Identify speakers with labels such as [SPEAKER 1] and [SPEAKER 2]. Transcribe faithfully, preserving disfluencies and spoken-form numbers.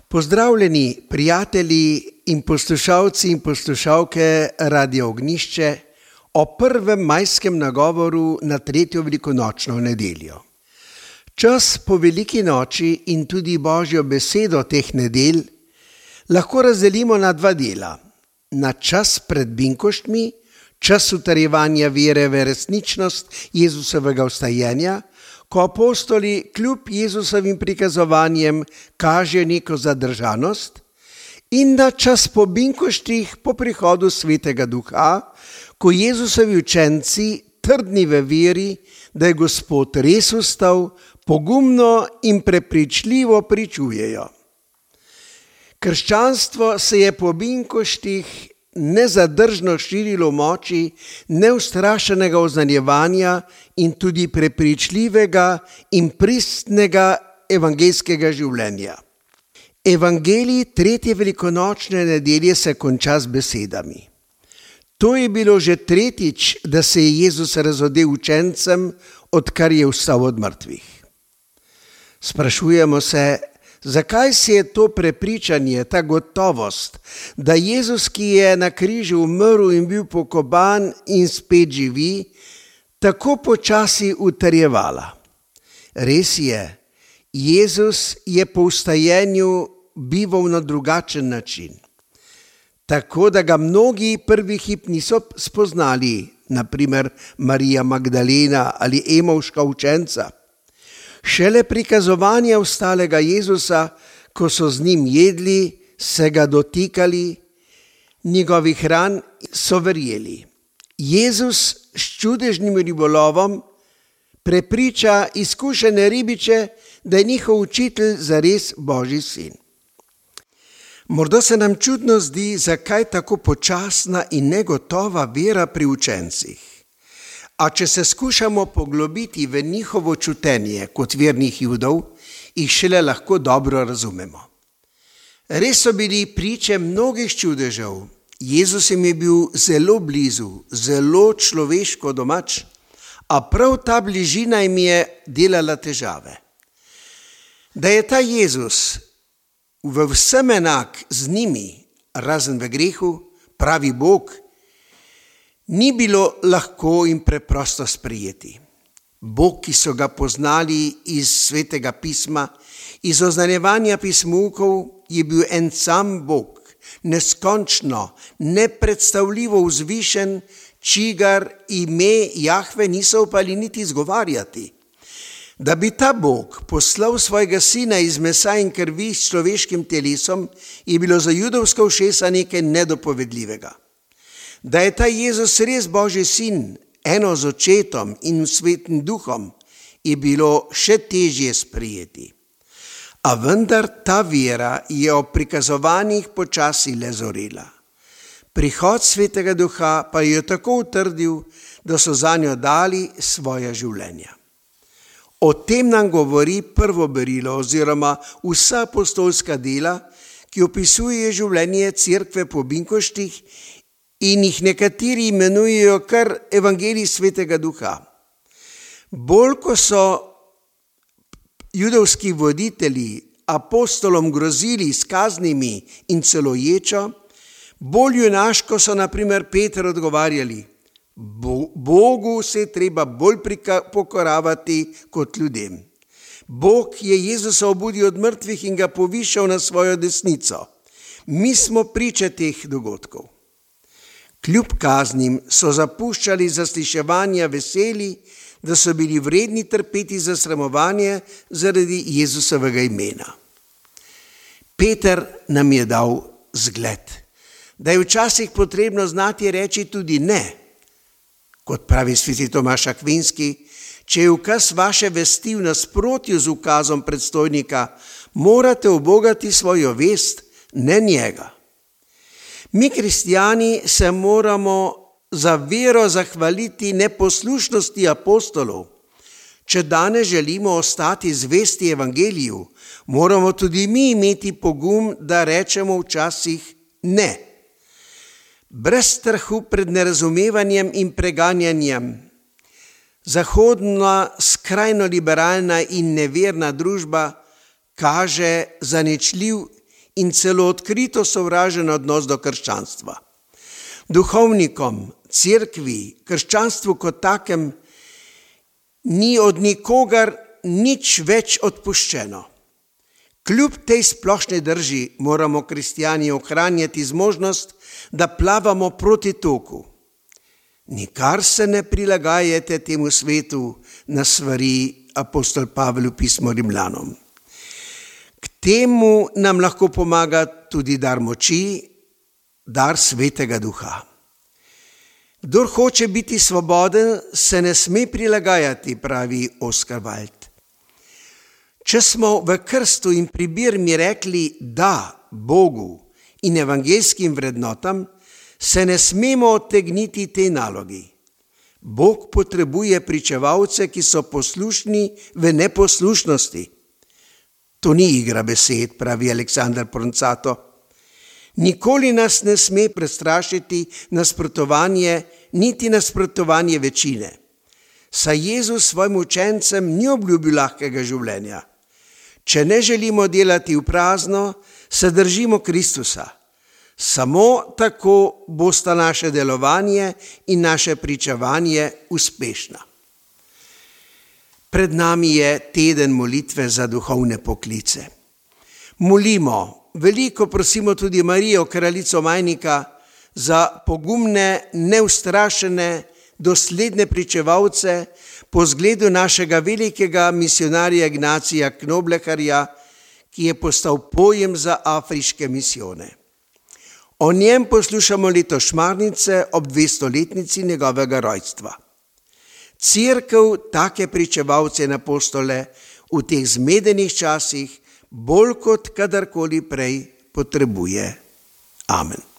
[SPEAKER 1] Pozdravljeni prijatelji in poslušalci in poslušalke Radia Ognjišče o prvem majskem nagovoru na tretjo velikonočno nedeljo. Čas po veliki noči in tudi Božjo besedo teh nedelj lahko razdelimo na dva dela. Na čas pred binkoštmi, čas utrjevanja vere v resničnost Jezusovega vstajenja, ko apostoli kljub Jezusovim prikazovanjem kaže neko zadržanost, in na čas po binkoštih po prihodu Svetega Duha, ko Jezusovi učenci, trdni v veri, da je Gospod res vstal, pogumno in prepričljivo pričujejo. Krščanstvo se je po binkoštih nezadržno širilo v moči neustrašenega oznanjevanja in tudi prepričljivega in pristnega evangeljskega življenja. Evangelij tretje velikonočne nedelje se konča z besedami. To je bilo že tretjič, da se je Jezus razodel učencem, odkar je vstal od mrtvih. Sprašujemo se, zakaj se je to prepričanje, ta gotovost, da Jezus, ki je na križu umrl in bil pokopan in spet živi, tako počasi utrjevala. Res je, Jezus je po vstajenju bival na drugačen način. Tako da ga mnogi prvi hip niso spoznali, na primer Marija Magdalena ali Emovška učenca. Šele prikazovanja vstalega Jezusa, ko so z njim jedli, se ga dotikali, njegovih ran so verjeli. Jezus s čudežnim ribolovom prepriča izkušene ribiče, da je njihov učitelj zares Božji sin. Morda se nam čudno zdi, zakaj tako počasna in negotova vera pri učencih. A če se skušamo poglobiti v njihovo čutenje kot vernih Judov, jih šele lahko dobro razumemo. Res so bili priče mnogih čudežev. Jezus jim je bil zelo blizu, zelo človeško domač, a prav ta bližina jim je delala težave. Da je ta Jezus v vsem enak z njimi, razen v grehu, pravi Bog, ni bilo lahko in preprosto sprejeti. Bog, ki so ga poznali iz Svetega pisma, iz oznanjevanja pismukov, je bil en sam Bog, neskončno, nepredstavljivo vzvišen, čigar ime Jahve niso upali niti izgovarjati. Da bi ta Bog poslal svojega sina iz mesa in krvi s človeškim telesom, je bilo za judovska ušesa nekaj nedopovedljivega. Da je ta Jezus res Božji sin, eno z očetom in Svetim Duhom, je bilo še težje sprejeti. A vendar ta vera je ob prikazovanjih počasi le zorela. Prihod Svetega Duha pa je tako utrdil, da so zanjo dali svoja življenja. O tem nam govori prvo berilo oziroma vsa apostolska dela, ki opisuje življenje cerkve po binkoštih in jih nekateri imenujejo kar Evangelij Svetega Duha. Bolj ko so judovski voditelji apostolom grozili s kaznimi in celo ječo, bolj junaško so na primer Peter odgovarjali: Bogu se je treba bolj pokoravati kot ljudem. Bog je Jezusa obudil od mrtvih in ga povišal na svojo desnico. Mi smo priče teh dogodkov. Kljub kaznim so zapuščali zasliševanja veseli, da so bili vredni trpeti za sramovanje zaradi Jezusovega imena. Peter nam je dal zgled, da je včasih potrebno znati reči tudi ne. Kot pravi sveti Tomaž Akvinski, če je ukaz vaše vesti v nasprotju z ukazom predstojnika, morate ubogati svojo vest, ne njega. Mi, kristjani, se moramo za vero zahvaliti neposlušnosti apostolov. Če danes želimo ostati zvesti evangeliju, moramo tudi mi imeti pogum, da rečemo včasih ne. Brez strahu pred nerazumevanjem in preganjanjem. Zahodna, skrajno liberalna in neverna družba kaže zaničljiv in celo odkrito sovražen odnos do krščanstva. Duhovnikom, cerkvi, krščanstvu kot takem ni od nikogar nič več odpuščeno. Kljub tej splošni drži moramo kristjani ohranjati zmožnost, da plavamo proti toku. Nikar se ne prilagajate temu svetu, nas svari apostol Pavel v pismu Rimljanom. K temu nam lahko pomaga tudi dar moči, dar Svetega Duha. Kdor hoče biti svoboden, se ne sme prilagajati, pravi Oscar Wilde. Če smo v krstu in pri birmi rekli da Bogu in evangeljskim vrednotam, se ne smemo odtegniti tej nalogi. Bog potrebuje pričevalce, ki so poslušni v neposlušnosti. To ni igra besed, pravi Aleksander Proncato. Nikoli nas ne sme prestrašiti nasprotovanje, niti nasprotovanje večine. Saj Jezus svojim učencem ni obljubil lahkega življenja. Če ne želimo delati v prazno, se držimo Kristusa. Samo tako bosta naše delovanje in naše pričevanje uspešna. Pred nami je teden molitve za duhovne poklice. Molimo, veliko prosimo tudi Marijo, kraljico Majnika, za pogumne, neustrašene, dosledne pričevalce po zgledu našega velikega misionarja Ignacija Knobleharja, ki je postal pojem za afriške misijone. O njem poslušamo letos šmarnice ob dvestoletnici njegovega rojstva. Cerkev take pričevalce in apostole v teh zmedenih časih bolj kot kadarkoli prej potrebuje. Amen.